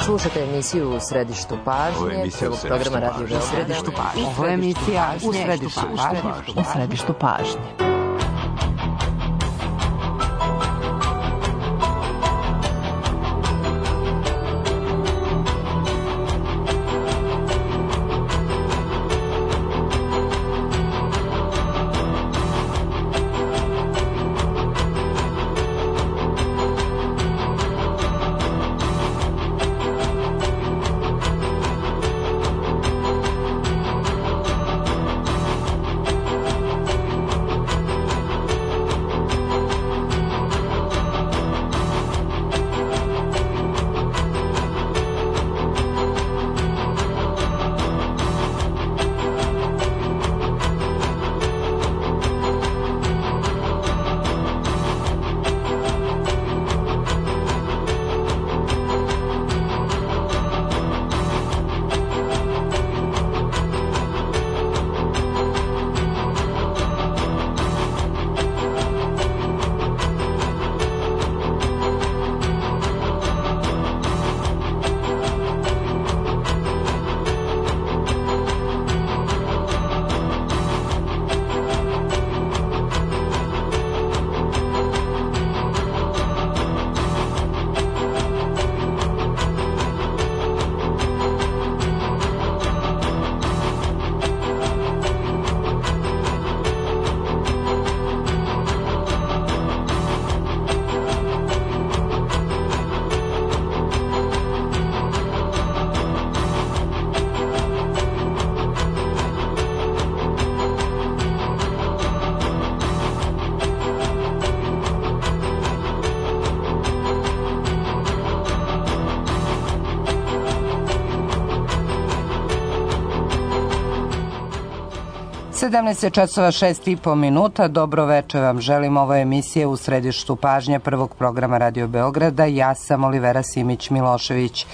Slušate emisiju U središtu pažnje, prvog programa Radio Beograda. Ovo je emisija U središtu pažnje. časova 6:30. Dobro večer vam želim. Ovo je emisija U središtu pažnje prvog programa Radio Beograda. Ja sam Olivera Simić-Milošević.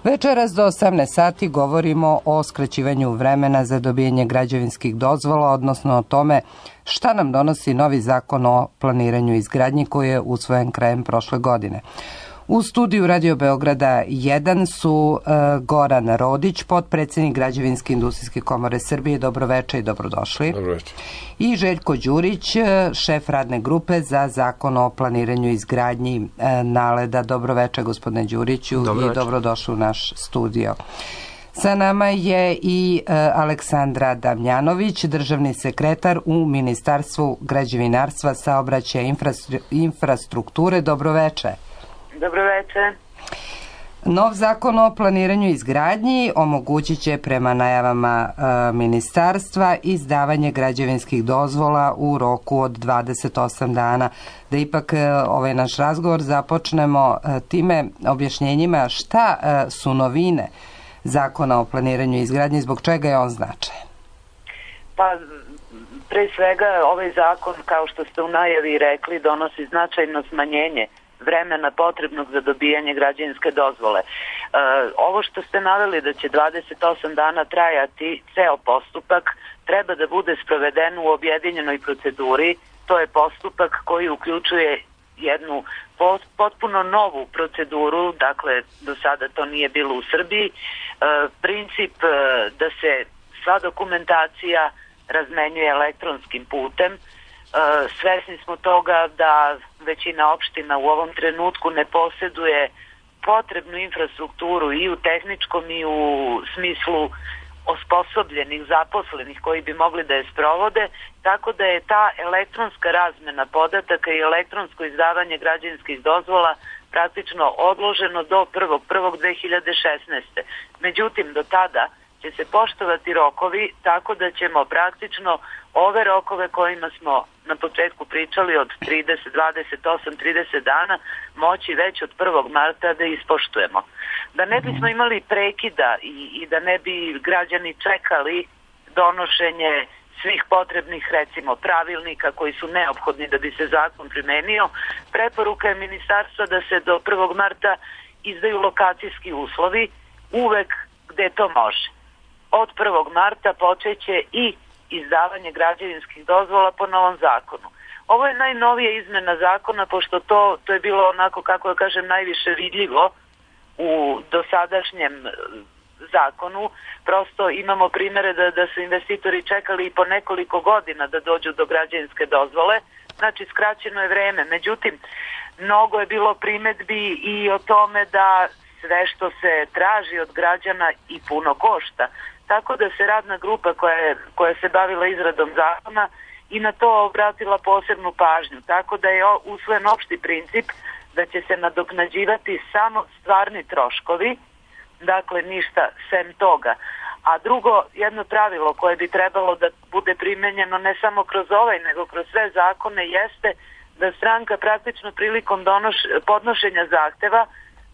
Večeras do 18 sati govorimo o skraćivanju vremena za dobijanje građevinskih dozvola, odnosno o tome šta nam donosi novi zakon o planiranju i izgradnji koji je usvojen krajem prošle godine. U studiju Radio Beograda 1 su Goran Rodić, potpredsednik Građevinske industrijske komore Srbije. Dobroveče i dobrodošli. Dobroveče. I Željko Đurić, šef radne grupe za zakon o planiranju i izgradnji NALED-a. Dobroveče, gospodine Đuriću, i dobrodošli u naš studio. Sa nama je i Aleksandra Damjanović, državni sekretar u Ministarstvu građevinarstva, saobraćaja i infrastrukture. Dobroveče. Dobroveče. Nov zakon o planiranju i izgradnji omogućit će prema najavama ministarstva izdavanje građevinskih dozvola u roku od 28 dana. Da ipak ovaj naš razgovor započnemo time objašnjenjima šta su novine zakona o planiranju i izgradnji, zbog čega je on značajan. Pa, pre svega ovaj zakon, kao što ste u najavi rekli, donosi značajno smanjenje vremena potrebnog za dobijanje građevinske dozvole. Ovo što ste naveli da će 28 dana trajati ceo postupak treba da bude sproveden u objedinjenoj proceduri. To je postupak koji uključuje jednu potpuno novu proceduru, dakle do sada to nije bilo u Srbiji. Princip da se sva dokumentacija razmenjuje elektronskim putem. Svesni smo toga da većina opština u ovom trenutku ne poseduje potrebnu infrastrukturu i u tehničkom i u smislu osposobljenih, zaposlenih koji bi mogli da je sprovode, tako da je ta elektronska razmena podataka i elektronsko izdavanje građevinskih dozvola praktično odloženo do 1.1.2016. Međutim, do tada će se poštovati rokovi, tako da ćemo praktično ove rokove kojima smo na početku pričali od 30, 28, 30 dana moći već od 1. marta da ispoštujemo. Da ne bismo imali prekida i da ne bi građani čekali donošenje svih potrebnih, recimo, pravilnika koji su neophodni da bi se zakon primenio, preporuka je ministarstva da se do 1. marta izdaju lokacijski uslovi uvek gde to može. Od 1. marta počeće i izdavanje građevinskih dozvola po novom zakonu. Ovo je najnovija izmena zakona, pošto to je bilo onako, kako da kažem, najviše vidljivo u dosadašnjem zakonu. Prosto imamo primere da su investitori čekali i po nekoliko godina da dođu do građevinske dozvole, znači skraćeno je vreme. Međutim, mnogo je bilo primedbi i o tome da sve što se traži od građana i puno košta. Tako da se radna grupa koja se bavila izradom zakona i na to obratila posebnu pažnju. Tako da je usvojen opšti princip da će se nadoknađivati samo stvarni troškovi, dakle ništa sem toga. A drugo, jedno pravilo koje bi trebalo da bude primenjeno ne samo kroz ovaj, nego kroz sve zakone, jeste da stranka praktično prilikom podnošenja zahteva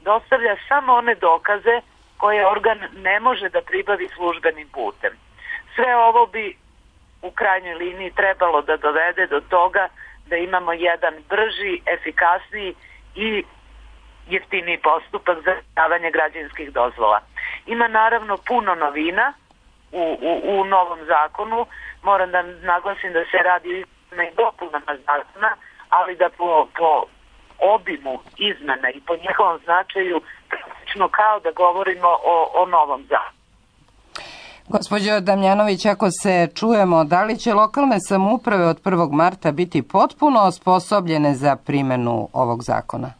dostavlja samo one dokaze koje organ ne može da pribavi službenim putem. Sve ovo bi u krajnjoj liniji trebalo da dovede do toga da imamo jedan brži, efikasniji i jeftiniji postupak za izdavanje građevinskih dozvola. Ima naravno puno novina u novom zakonu. Moram da naglasim da se radi o izmenama i dopunama zakona, ali da po obimu izmena i po njihovom značaju praktično kao da govorimo o novom zakonu. Gospođo Damjanović, ako se čujemo, da li će lokalne samouprave od 1. marta biti potpuno osposobljene za primenu ovog zakona?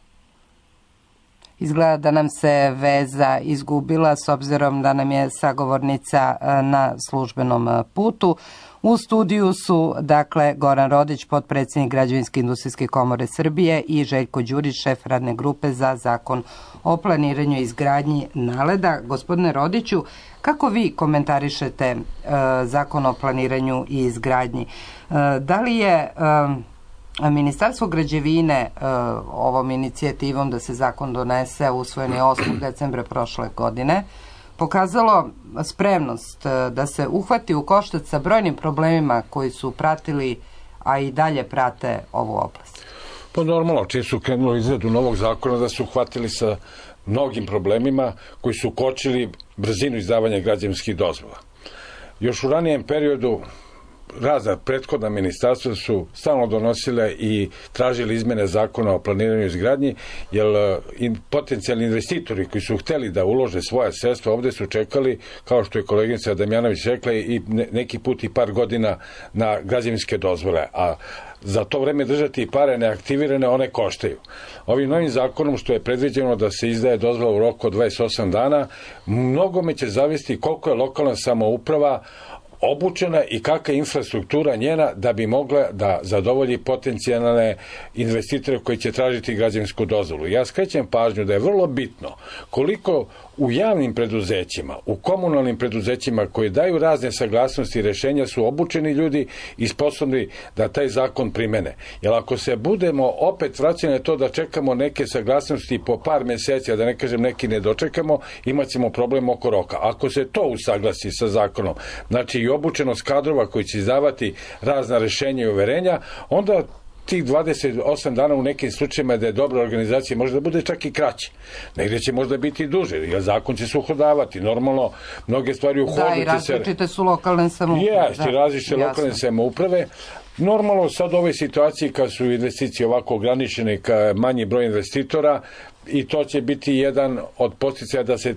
Izgleda da nam se veza izgubila s obzirom da nam je sagovornica na službenom putu. U studiju su, dakle, Goran Rodić, potpredsjednik Građevinske industrijske komore Srbije i Željko Đurić, šef radne grupe za zakon o planiranju i izgradnji NALED-a. Gospodine Rodiću, kako vi komentarišete zakon o planiranju i izgradnji? Da li je Ministarstvo građevine ovom inicijativom da se zakon donese, usvojen je 8. decembra prošle godine, pokazalo spremnost da se uhvati u koštac sa brojnim problemima koji su pratili, a i dalje prate ovu oblast? Pa normalno, čim su krenuli izradu novog zakona da su uhvatili sa mnogim problemima koji su kočili brzinu izdavanja građevinskih dozvola. Još u ranijem periodu razna prethodna ministarstva su stalno donosile i tražili izmene zakona o planiranju i izgradnji, jer potencijalni investitori koji su hteli da ulože svoja sredstva ovde su čekali, kao što je koleginica Damjanović rekla, i neki put i par godina na građevinske dozvole, a za to vreme držati pare neaktivirane, one koštaju. Ovim novim zakonom, što je predviđeno da se izdaje dozvola u roku od 28 dana, mnogome će zavisiti koliko je lokalna samouprava obučena i kakva je infrastruktura njena da bi mogla da zadovolji potencijalne investitore koji će tražiti građevinsku dozvolu. Ja skrećem pažnju da je vrlo bitno koliko u javnim preduzećima, u komunalnim preduzećima koji daju razne saglasnosti i rešenja su obučeni ljudi i sposobni da taj zakon primene. Jer ako se budemo opet vraćali na to da čekamo neke saglasnosti po par meseci, a da ne kažem neki ne dočekamo, imat ćemo problem oko roka. Ako se to usaglasi sa zakonom, znači i obučenost kadrova koji će izdavati razna rešenja i uverenja, onda tih 28 dana u nekim slučajima da je dobra organizacija može da bude čak i kraće. Negdje će možda biti duže, jer zakon će se uhodavati. Normalno, mnoge stvari u hodu će se... Da, i različite su lokalne samouprave. Jeste, različite lokalne samouprave. Normalno, sad u ovoj situaciji kad su investicije ovako ograničene, kad manji broj investitora, i to će biti jedan od podsticaja da se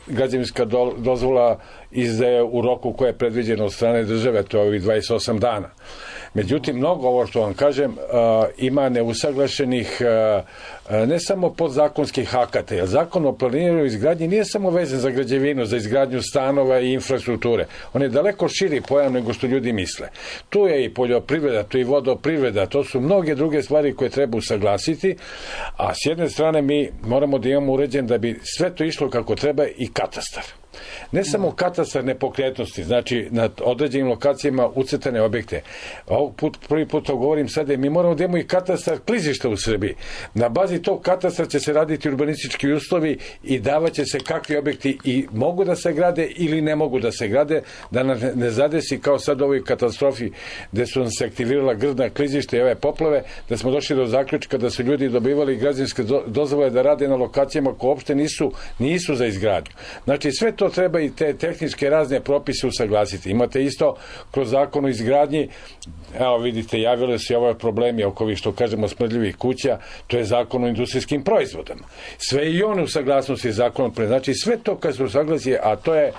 građevinska dozvola izdaje u roku koje je predviđeno od strane države, to je ovih 28 dana. Međutim, mnogo ovo što vam kažem ima neusaglašenih ne samo podzakonskih akata, jer zakon o planiranju i izgradnji nije samo vezan za građevinu, za izgradnju stanova i infrastrukture. On je daleko širi pojam nego što ljudi misle. Tu je i poljoprivreda, tu je i vodoprivreda, to su mnoge druge stvari koje treba usaglasiti, a s jedne strane mi moramo da imamo uređen da bi sve to išlo kako treba i katastar. Ne samo katastar nepokretnosti, znači na određenim lokacijama ucrtane objekte. Prvi put to govorim sada, mi moramo da imamo i katastar klizišta u Srbiji. Na bazi tog katastra će se raditi urbanistički uslovi i davaće se kakvi objekti i mogu da se grade ili ne mogu da se grade, da ne zadesi kao sad u ovoj katastrofi gde su nam se aktivirala grdna klizišta i ove poplave, da smo došli do zaključka da su ljudi dobivali građevinske dozvole da rade na lokacijama koje uopšte nisu za izgradnju. Znači sve to treba i te tehničke razne propise usaglasiti. Imate isto kroz zakon o izgradnji, evo vidite, javili se ove problemi oko ovih, što kažemo, smrdljivih kuća, to je zakon o industrijskim proizvodama. Sve i one u saglasnosti zakonom, znači sve to kad se usaglasi, a to je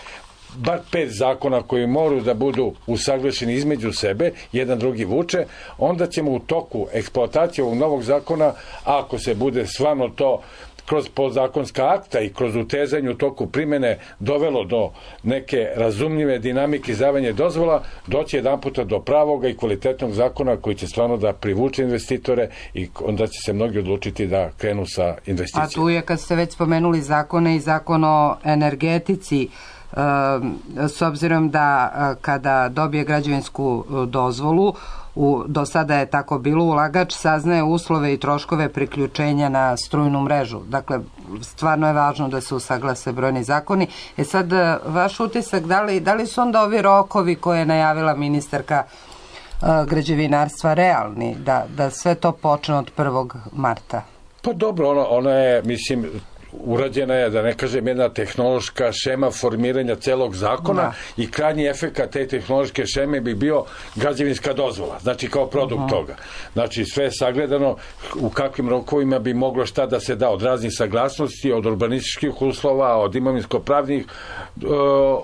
bar 5 zakona koji moraju da budu usaglašeni između sebe, jedan drugi vuče, onda ćemo u toku eksploatacije ovog novog zakona, ako se bude stvarno to kroz podzakonska akta i kroz utezanje u toku primene dovelo do neke razumljive dinamike izdavanja dozvola, doći jedan puta do pravoga i kvalitetnog zakona koji će stvarno da privuče investitore i onda će se mnogi odlučiti da krenu sa investicijama. A tu je, kad ste već spomenuli zakone, i zakon o energetici, s obzirom da kada dobije građevinsku dozvolu, do sada je tako bilo, ulagač saznaje uslove i troškove priključenja na strujnu mrežu. Dakle, stvarno je važno da se usaglase brojni zakoni. Sad, vaš utisak, da li su onda ovi rokovi koje je najavila ministarka građevinarstva realni, da sve to počne od 1. marta? Pa dobro, ona je, mislim, urađena je, da ne kažem, jedna tehnološka šema formiranja celog zakona i krajnji efekat te tehnološke šeme bi bio građevinska dozvola, znači kao produkt toga. Znači sve je sagledano u kakvim rokovima bi moglo šta da se da od raznih saglasnosti, od urbanističkih uslova, od imovinsko-pravnih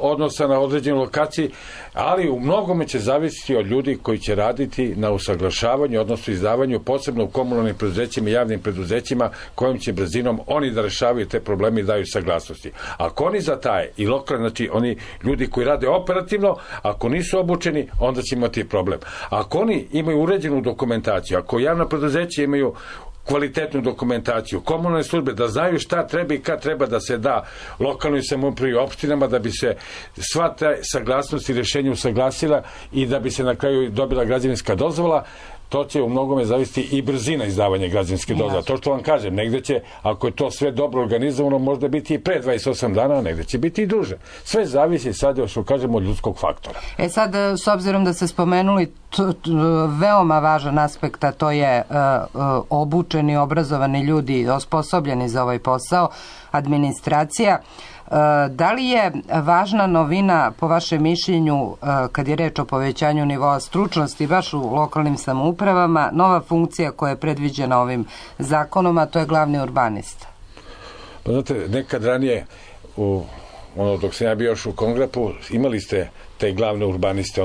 odnosa na određenoj lokaciji, ali u mnogome će zavisiti od ljudi koji će raditi na usaglašavanju, odnosno izdavanju, posebno u komunalnim preduzećima i javnim preduzećima, kojim će brzinom oni da rešavaju te probleme i daju saglasnosti. Ako oni zataje i lokalni, znači oni ljudi koji rade operativno, ako nisu obučeni, onda će imati problem. Ako oni imaju uređenu dokumentaciju, ako javna preduzeća imaju kvalitetnu dokumentaciju, komunalne službe, da znaju šta treba i kad treba da se da lokalnoj samoupravi i opštinama, da bi se sva ta saglasnost i rješenja usaglasila i da bi se na kraju dobila građevinska dozvola, to će u mnogome zavisiti i brzina izdavanja građevinske dozvole. To što vam kažem, negde će, ako je to sve dobro organizovano, možda biti i pre 28 dana, a negde će biti i duže. Sve zavisi sad, što kažemo, od ljudskog faktora. Sad, s obzirom da ste spomenuli veoma važan aspekt, a to je obučeni, obrazovani ljudi, osposobljeni za ovaj posao, administracija, da li je važna novina, po vašem mišljenju, kad je reč o povećanju nivoa stručnosti baš u lokalnim samoupravama, nova funkcija koja je predviđena ovim zakonom, a to je glavni urbanista? Pa znate, nekad ranije, dok sam ja bio još u Kongrapu, imali ste te glavne urbaniste,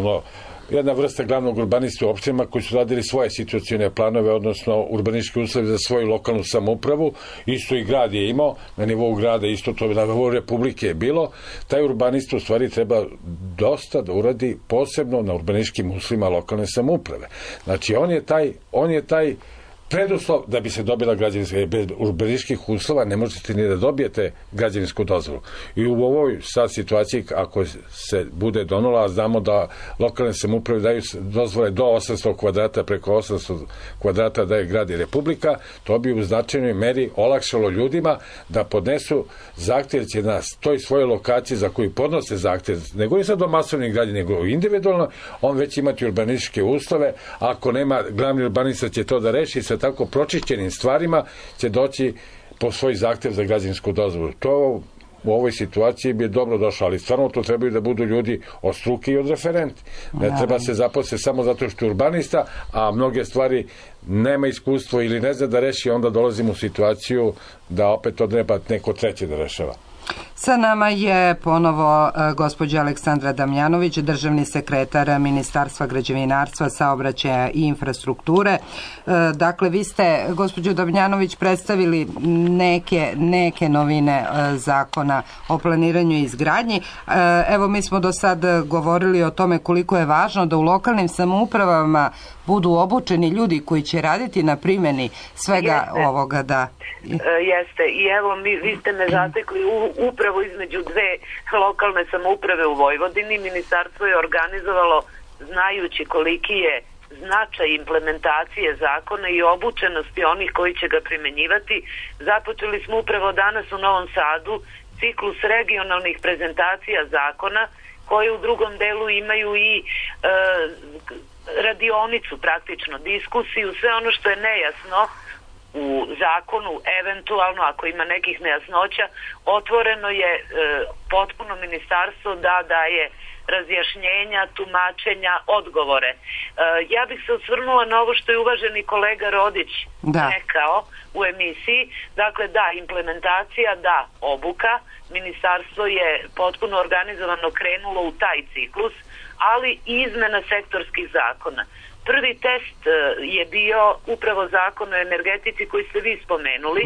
jedna vrsta glavnog urbanista u opštinama koji su radili svoje situacione planove, odnosno urbanističke uslove za svoju lokalnu samoupravu. Isto i grad je imao, na nivou grada isto to, na nivou Republike je bilo. Taj urbanista u stvari treba dosta da uradi posebno na urbanističkim uslovima lokalne samouprave. Znači on je taj preduslov da bi se dobila građevinska, bez urbanističkih uslova ne možete ni da dobijete građevinsku dozvolu. I u ovoj sad situaciji, ako se bude donula, a znamo da lokalne samouprave daju dozvole do 800 kvadrata, preko 800 kvadrata daje grad i Republika, to bi u značajnoj meri olakšalo ljudima da podnesu zahtev, će na toj svojoj lokaciji za koju podnose zahtev, nego i sad do masovnih gradnji, nego individualno, on već imati urbanističke uslove, ako nema, glavni urbanista će to da reši, sa tako pročišćenim stvarima će doći po svoj zahtev za građevinsku dozvolu. To u ovoj situaciji bi dobro došlo, ali stvarno to trebaju da budu ljudi od struke i od referenti. Ne treba se zaposliti samo zato što je urbanista, a mnoge stvari nema iskustvo ili ne zna da reši, onda dolazimo u situaciju da opet to treba neko treće da rešava. Sa nama je ponovo gospođa Aleksandra Damjanović, državni sekretar Ministarstva građevinarstva, saobraćaja i infrastrukture. Dakle, vi ste, gospođo Damjanović, predstavili neke novine zakona o planiranju i izgradnji. Evo, mi smo do sad govorili o tome koliko je važno da u lokalnim samoupravama budu obučeni ljudi koji će raditi na primjeni svega ovoga. Jeste. I evo, vi ste me zatekli upravo između dve lokalne samouprave u Vojvodini. Ministarstvo je organizovalo, znajući koliki je značaj implementacije zakona i obučenosti onih koji će ga primenjivati. Započeli smo upravo danas u Novom Sadu ciklus regionalnih prezentacija zakona, koje u drugom delu imaju i radionicu, praktično diskusiju, sve ono što je nejasno u zakonu, eventualno ako ima nekih nejasnoća, otvoreno je potpuno ministarstvo da daje razjašnjenja, tumačenja, odgovore. Ja bih se osvrnula na ovo što je uvaženi kolega Rodić rekao u emisiji. Dakle, da, implementacija, da, obuka. Ministarstvo je potpuno organizovano krenulo u taj ciklus, ali i izmena sektorskih zakona. Prvi test je bio upravo zakon o energetici koji ste vi spomenuli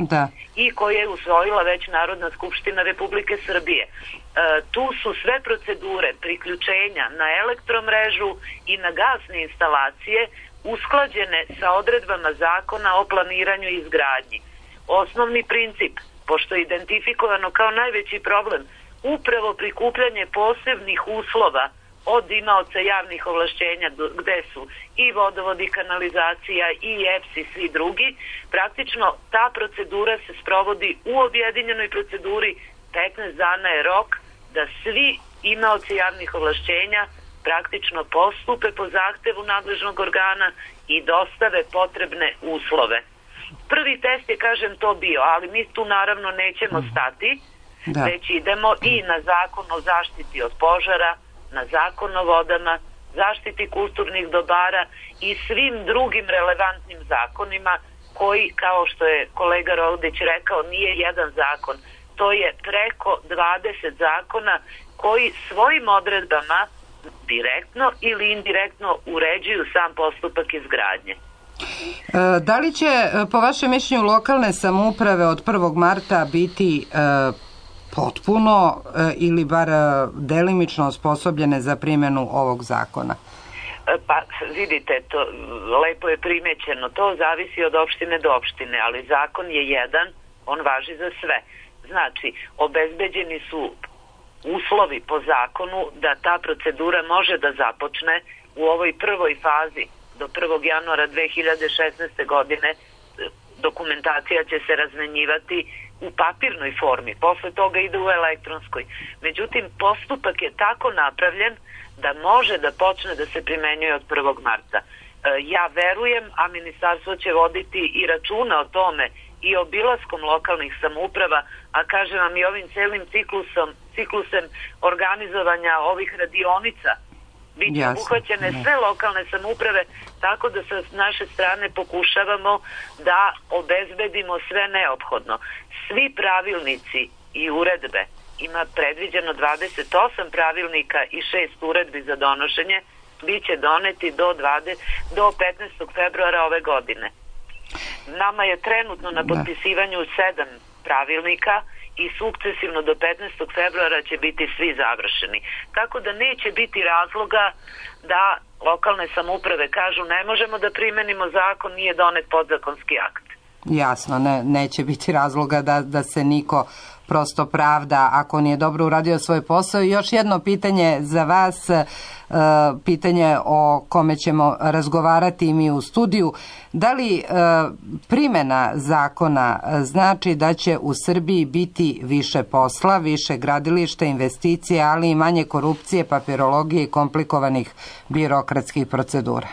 i koji je usvojila već Narodna skupština Republike Srbije. Tu su sve procedure priključenja na elektromrežu i na gasne instalacije usklađene sa odredbama zakona o planiranju i izgradnji. Osnovni princip, pošto je identifikovano kao najveći problem, upravo prikupljanje posebnih uslova od imaoca javnih ovlašćenja gde su i vodovod i kanalizacija i EPS i svi drugi, praktično ta procedura se sprovodi u objedinjenoj proceduri. 15 dana je rok da svi imaoci javnih ovlašćenja praktično postupe po zahtevu nadležnog organa i dostave potrebne uslove. Prvi test je, kažem, to bio, ali mi tu naravno nećemo stati, već idemo i na zakon o zaštiti od požara, na zakon o vodama, zaštiti kulturnih dobara i svim drugim relevantnim zakonima koji, kao što je kolega Rodić rekao, nije jedan zakon. To je preko 20 zakona koji svojim odredbama direktno ili indirektno uređuju sam postupak izgradnje. Da li će, po vašem mišljenju, lokalne samouprave od 1. marta biti potpuno ili bar delimično osposobljene za primjenu ovog zakona? Pa vidite, to lepo je primećeno, to zavisi od opštine do opštine, ali zakon je jedan, on važi za sve. Znači, obezbeđeni su uslovi po zakonu da ta procedura može da započne u ovoj prvoj fazi do 1. januara 2016. godine. Dokumentacija će se razmenjivati u papirnoj formi, posle toga ide u elektronskoj. Međutim, postupak je tako napravljen da može da počne da se primenjuje od 1. marta. Ja verujem, a ministarstvo će voditi i računa o tome i obilaskom lokalnih samouprava, a kažem vam i ovim celim ciklusem organizovanja ovih radionica, bit će obuhvaćene sve lokalne samouprave, tako da sa naše strane pokušavamo da obezbedimo sve neophodno. Svi pravilnici i uredbe, ima predviđeno 28 pravilnika i 6 uredbi za donošenje, bit će doneti do 15. februara ove godine. Nama je trenutno na potpisivanju 7 pravilnika i sukcesivno do 15. februara će biti svi završeni. Tako da neće biti razloga da lokalne samouprave kažu ne možemo da primenimo zakon, nije donet podzakonski akt. Jasno, neće biti razloga da se niko prosto pravda ako nije dobro uradio svoj posao. I još jedno pitanje za vas, pitanje o kome ćemo razgovarati i mi u studiju. Da li primjena zakona znači da će u Srbiji biti više posla, više gradilišta, investicije, ali i manje korupcije, papirologije i komplikovanih birokratskih procedura?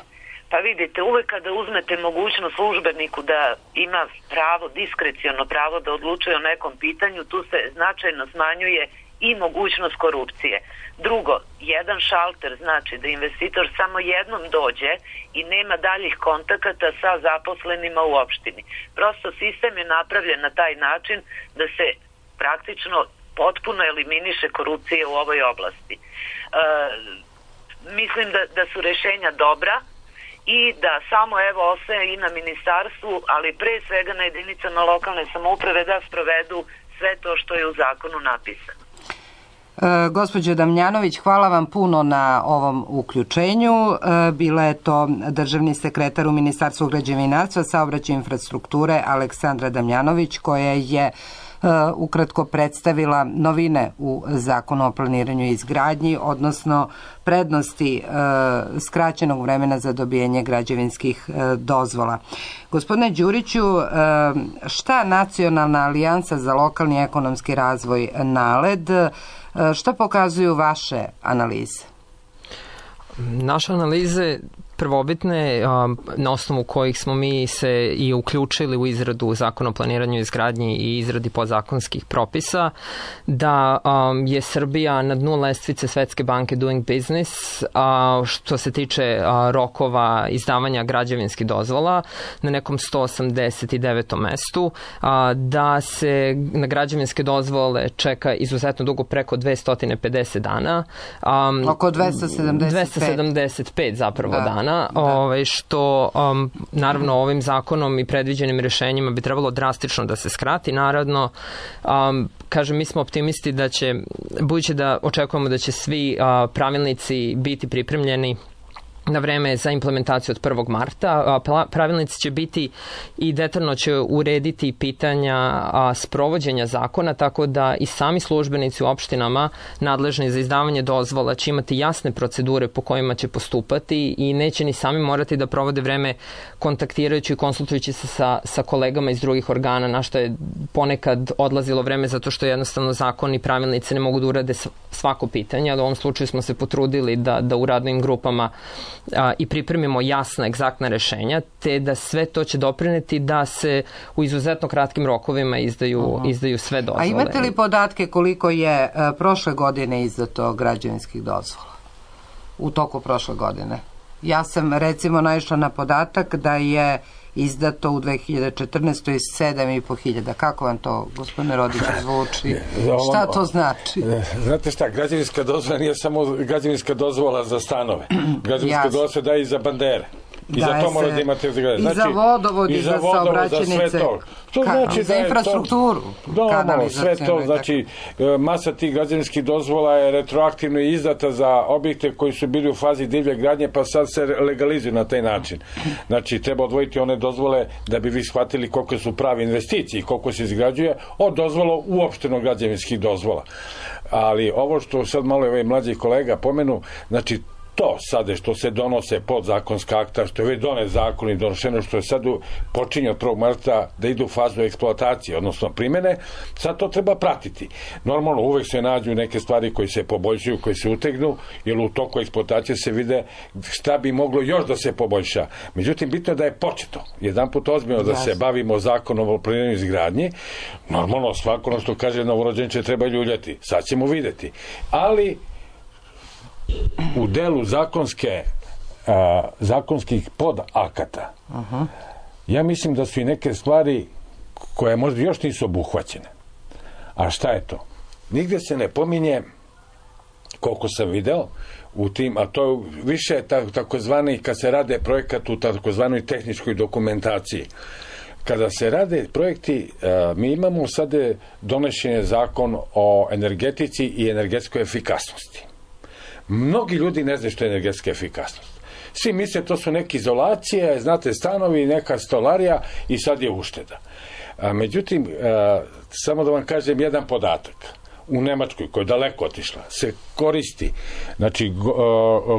Pa vidite, uvek kada uzmete mogućnost službeniku da ima pravo, diskreciono pravo da odlučuje o nekom pitanju, tu se značajno smanjuje i mogućnost korupcije. Drugo, jedan šalter znači da investitor samo jednom dođe i nema daljih kontakata sa zaposlenima u opštini. Prosto sistem je napravljen na taj način da se praktično potpuno eliminiše korupcija u ovoj oblasti. Mislim da su rešenja dobra i da samo ostaje i na ministarstvu, ali pre svega na jedinicama lokalne samouprave da sprovedu sve to što je u zakonu napisano. Gospođo Damjanović, hvala vam puno na ovom uključenju. Bila je to državni sekretar u Ministarstvu građevinarstva, saobraćaja i infrastrukture Aleksandra Damjanović, koja je ukratko predstavila novine u Zakonu o planiranju i izgradnji, odnosno prednosti skraćenog vremena za dobijanje građevinskih dozvola. Gospodine Đuriću, šta Nacionalna alijansa za lokalni ekonomski razvoj NALED, šta pokazuju vaše analize? Naše analize prvobitne, na osnovu kojih smo mi se i uključili u izradu zakona o planiranju i izgradnji i izradi podzakonskih propisa, da je Srbija na dnu lestvice Svetske banke Doing Business, što se tiče rokova izdavanja građevinskih dozvola, na nekom 189. mestu, da se na građevinske dozvole čeka izuzetno dugo, preko 250 dana. Oko 275 zapravo dana, što naravno ovim zakonom i predviđenim rešenjima bi trebalo drastično da se skrati. Naravno, kažem, mi smo optimisti da će, budući da očekujemo da će svi pravilnici biti pripremljeni na vreme za implementaciju od 1. marta. Pravilnici će biti i detaljno će urediti pitanja sprovođenja zakona, tako da i sami službenici u opštinama nadležni za izdavanje dozvola će imati jasne procedure po kojima će postupati i neće ni sami morati da provode vreme kontaktirajući i konsultujući se sa kolegama iz drugih organa, na što je ponekad odlazilo vreme zato što jednostavno zakon i pravilnici ne mogu da urade svako pitanje, ali u ovom slučaju smo se potrudili da u radnim grupama i pripremimo jasna, egzaktna rešenja, te da sve to će doprineti da se u izuzetno kratkim rokovima izdaju sve dozvole. A imate li podatke koliko je prošle godine izdato građevinskih dozvola? U toku prošle godine. Ja sam recimo naišla na podatak da je izdato u 2014. 7.500. Kako vam to, gospodine Rodiću, zvuči? Šta to znači? Znate šta, građevinska dozvola nije samo građevinska dozvola za stanove. Građevinska dozvola se daje i za bandere. I za to mora da imate zgrade. I za vodovod, i za saobraćajnice. Znači za infrastrukturu. Sve to, znači masa tih građevinskih dozvola je retroaktivno izdata za objekte koji su bili u fazi divlje gradnje, pa sad se legalizuju na taj način. Znači treba odvojiti one dozvole da bi vi shvatili koliko su pravi investicije i koliko se izgrađuje od dozvola uopšteno građevinskih dozvola. Ali ovo što sad malo je mlađi kolega pomenu, znači to sada što se donose podzakonska akta, što je već donet zakon i donošeno, što je sad počinje od 1. marta da ide u fazu eksploatacije, odnosno primene, sad to treba pratiti. Normalno, uvek se nađu neke stvari koje se poboljšaju, koje se utegnu, jer u toku eksploatacije se vide šta bi moglo još da se poboljša. Međutim, bitno je da je početo. Jedan put ozbiljno da se bavimo zakonom o planiranju i izgradnji. Normalno, svako ono što kaže novorođenče treba ljuljati. Sad ćemo videti. Ali u delu zakonskih podakata ja mislim da su i neke stvari koje možda još nisu obuhvaćene. A šta je to? Nigde se ne pominje, koliko sam video u tim, a to je više takozvani, kad se rade projekat u takozvanoj tehničkoj dokumentaciji. Kada se rade projekti, mi imamo sad donešen je zakon o energetici i energetskoj efikasnosti. Mnogi ljudi ne znaju što je energetska efikasnost. Svi misle to su neke izolacije, znate, stanovi, neka stolarija i sad je ušteda. Međutim, samo da vam kažem jedan podatak. U Nemačkoj, koja je daleko otišla, se koristi, znači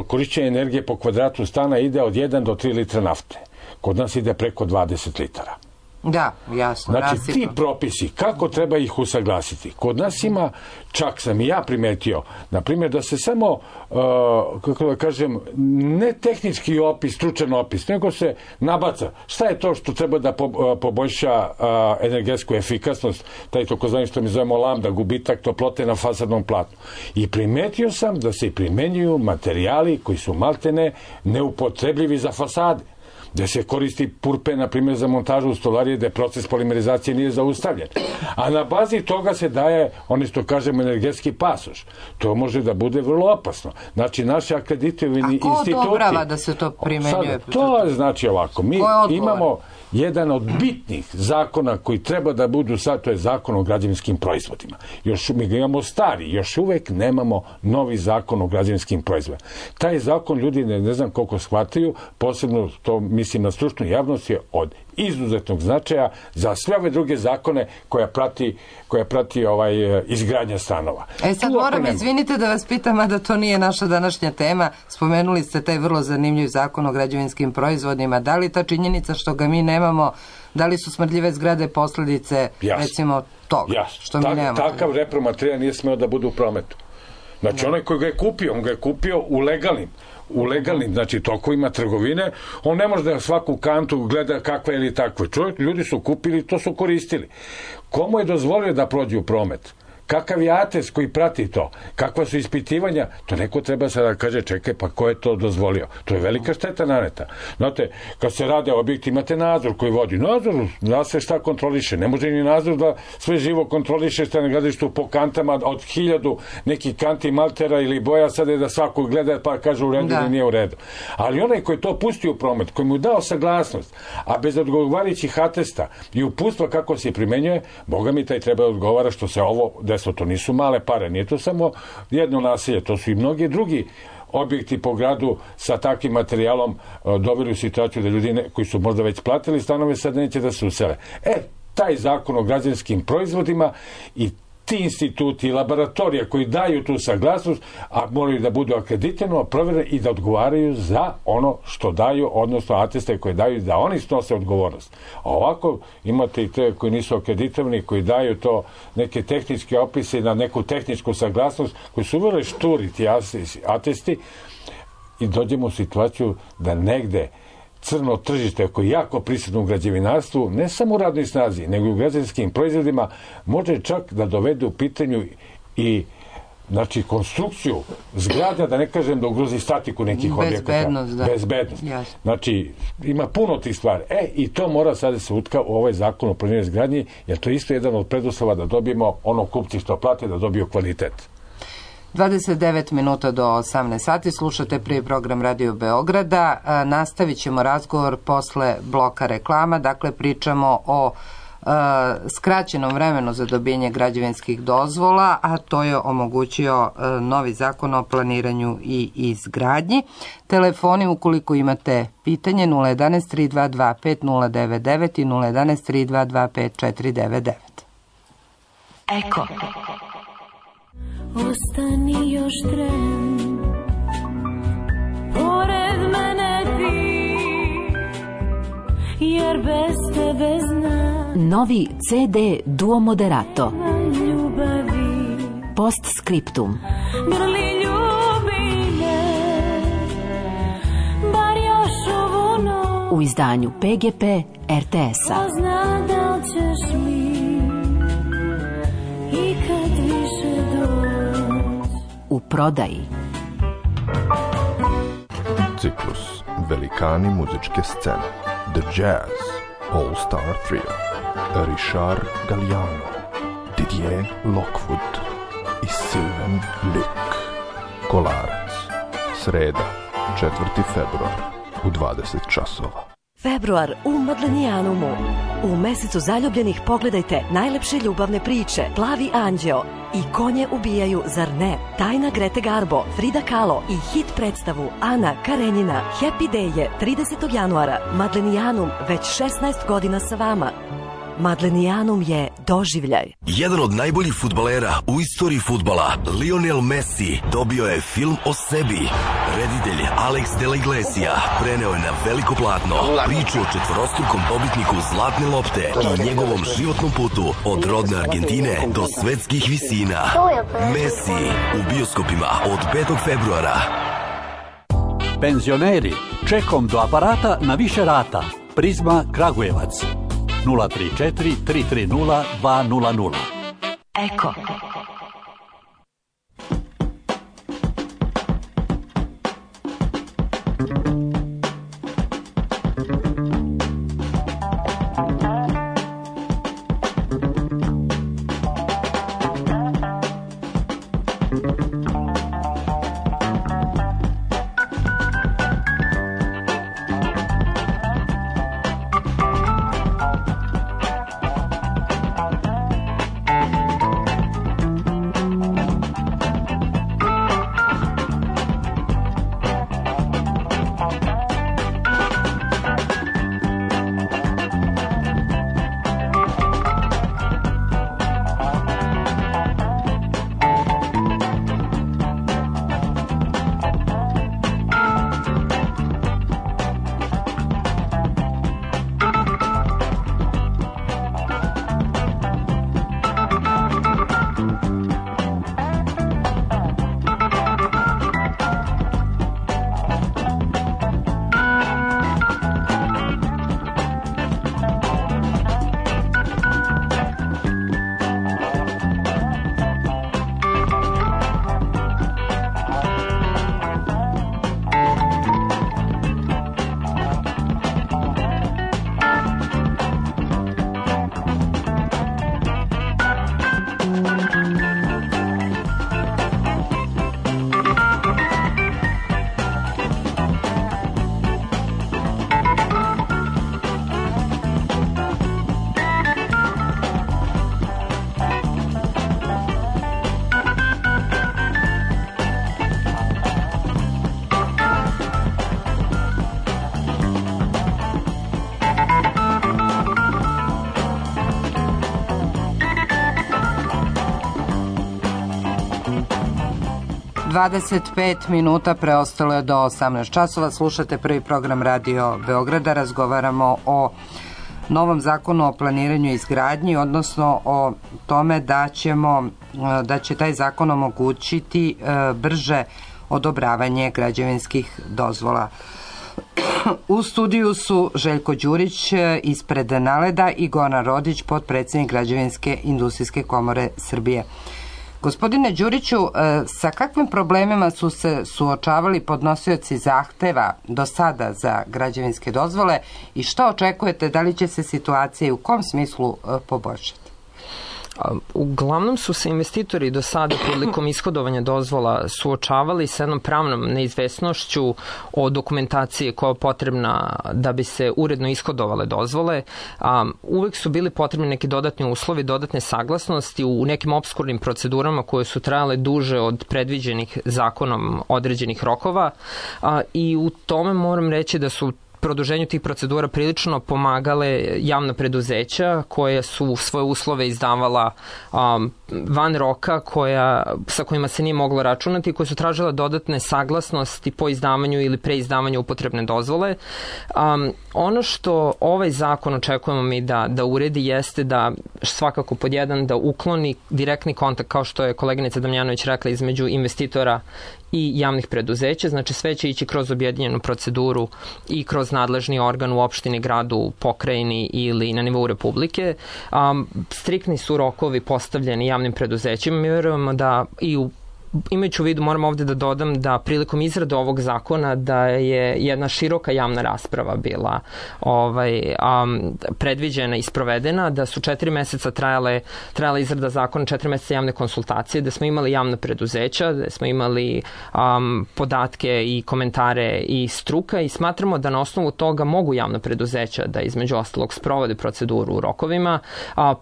korišćenje energije po kvadratu stana ide od 1 do 3 litra nafte. Kod nas ide preko 20 litara. Da, jasno. Znači, ti propisi, kako treba ih usaglasiti? Kod nas ima, čak sam i ja primetio, na primjer, da se samo, kako da kažem, ne tehnički opis, stručan opis, nego se nabaca. Šta je to što treba da poboljša energetsku efikasnost, taj takozvani što mi zovemo lambda, gubitak toplote na fasadnom platnu. I primetio sam da se primenjuju materijali koji su maltene neupotrebljivi za fasade, gde se koristi purpe, na primjer, za montažu stolarije, gde proces polimerizacije nije zaustavljen. A na bazi toga se daje, oni što kažemo, energetski pasoš. To može da bude vrlo opasno. Znači, naši akreditovani instituti... A ko odobrava da se to primenjuje? To znači ovako. Mi imamo jedan od bitnih zakona koji treba da budu sad, to je zakon o građevinskim proizvodima. Mi ga imamo stari, još uvek nemamo novi zakon o građevinskim proizvodima. Taj zakon ljudi ne znam koliko shvataju, posebno to mislim na stručnu javnost, je od izuzetnog značaja za sve ove druge zakone koja prati izgradnja stanova. Sad moram, izvinite da vas pitam, a da to nije naša današnja tema. Spomenuli ste taj vrlo zanimljiv zakon o građevinskim proizvodima. Da li ta činjenica što ga mi nemamo, da li su smrdljive zgrade posledice, recimo, toga što mi nemamo? Takav repromaterijal nije smeo da bude u prometu. Znači, onaj koji ga je kupio, on ga je kupio u u legalnim, znači, tokovima trgovine, on ne može da svaku kantu gleda kakva ili takva. Ljudi su kupili, to su koristili. Komu je dozvolio da prođe u promet? Kakav je atest koji prati to? Kakva su ispitivanja? To neko treba sada da kaže, čekaj, pa ko je to dozvolio? To je velika šteta naneta. Znate, kad se rade objekti, imate nadzor koji vodi. Nadzor, da se šta kontroliše. Ne može ni nadzor da sve živo kontroliše šta na gradilištu po kantama od 1000 nekih kanti maltera ili boja, sada je da svako gleda pa kaže u redu ili nije u redu. Ali onaj koji to pustio u promet, koji mu dao saglasnost, a bez odgovarajućih atesta i uputstva kako se primenjuje, Boga mi taj treba odgovara što se ovo to nisu male pare, nije to samo jedno naselje, to su i mnogi drugi objekti po gradu sa takvim materijalom doveli u situaciju da ljudi koji su možda već platili stanove sad neće da se usele. Taj zakon o građevinskim proizvodima i ti instituti i laboratorija koji daju tu saglasnost, a moraju da budu akreditirano, provjereni i da odgovaraju za ono što daju, odnosno ateste koje daju, da oni snose odgovornost. A ovako imate i te koji nisu akreditovani, koji daju to neke tehničke opise na neku tehničku saglasnost, koji su vrlo šturi ti atesti i dođemo u situaciju da negde crno tržište koje je jako prisutno u građevinarstvu, ne samo u radnoj snazi, nego i u građevinskim proizvodima, može čak da dovede u pitanju i konstrukciju zgrada, da ne kažem da ugrozi statiku nekih objekata. Bezbednost. Znači, ima puno tih stvari. I to mora sada se utka u ovaj zakon o planiranju izgradnji, jer to je isto jedan od preduslova da dobijemo ono kupci što plate, da dobiju kvalitet. 29 minuta do 18 sati, slušate prvi program Radio Beograda. Nastavit ćemo razgovor posle bloka reklama, dakle pričamo o skraćenom vremenu za dobijanje građevinskih dozvola, a to je omogućio novi zakon o planiranju i izgradnji. Telefoni ukoliko imate pitanje 011 322 5099 i 011 322 5499. Eko. Ostani još tren, pored mene ti, jer bez tebe znam. Novi CD Duo Moderato. Ljubavi. Postscriptum. Grli ljubi me, bar još ovu noć. U izdanju PGP RTS-a. Ko zna da li ćeš mi i kad više doći. U prodaji. Ciklus Velikani muzičke scene, The Jazz All Star Trio, Richard Galliano, Didier Lockwood i Sylvain Luc. Kolarac, sreda, 4. februar u 20 časova. Februar u Madlenijanumu. U mesecu zaljubljenih pogledajte najlepše ljubavne priče, Plavi anđeo i Konje ubijaju, zar ne? Tajna Grete Garbo, Frida Kahlo i hit predstavu Ana Karenjina. Happy Day je 30. januara. Madlenijanum već 16 godina sa vama. Madlenijanum je doživljaj. Jedan od najboljih fudbalera u istoriji fudbala, Lionel Messi, dobio je film o sebi. Reditelj Alex de la Iglesia preneo je na veliko platno priču o četvorostrukom dobitniku Zlatne lopte i njegovom životnom putu od rodne Argentine do svetskih visina. Messi u bioskopima od 5. februara. Penzioneri, čekom do aparata na više rata. Prizma Kragujevac. 034 330 200. Eko. 25 minuta preostalo je do 18 časova. Slušate prvi program Radio Beograda. Razgovaramo o novom zakonu o planiranju i izgradnji, odnosno o tome da će taj zakon omogućiti brže odobravanje građevinskih dozvola. U studiju su Željko Đurić ispred Naleda i Goran Rodić, potpredsednik Građevinske industrijske komore Srbije. Gospodine Đuriću, sa kakvim problemima su se suočavali podnosioci zahteva do sada za građevinske dozvole i šta očekujete, da li će se situacija i u kom smislu poboljšati? Uglavnom su se investitori do sada prilikom ishodovanja dozvola suočavali sa jednom pravnom neizvesnošću o dokumentaciji koja je potrebna da bi se uredno ishodovale dozvole. Uvek su bili potrebni neki dodatni uslovi, dodatne saglasnosti u nekim opskurnim procedurama koje su trajale duže od predviđenih zakonom određenih rokova i u tome moram reći da su produženju tih procedura prilično pomagale javna preduzeća koja su svoje uslove izdavala van roka sa kojima se nije moglo računati i koje su tražile dodatne saglasnosti po izdavanju ili preizdavanju upotrebne dozvole. Ono što ovaj zakon očekujemo mi da uredi jeste da svakako pod jedan da ukloni direktni kontakt, kao što je koleginica Damjanović rekla, između investitora i javnih preduzeća, znači sve će ići kroz objedinjenu proceduru i kroz nadležni organ u opštini, gradu, pokrajini ili na nivou Republike. Striktni su rokovi postavljeni javnim preduzećima. Mi verujemo da imajući u vidu, moram ovde da dodam da prilikom izrade ovog zakona da je jedna široka javna rasprava bila predviđena i sprovedena, da su 4 meseca trajala izrada zakona, 4 meseca javne konsultacije, da smo imali javna preduzeća, da smo imali podatke i komentare i struka i smatramo da na osnovu toga mogu javna preduzeća da između ostalog sprovode proceduru u rokovima.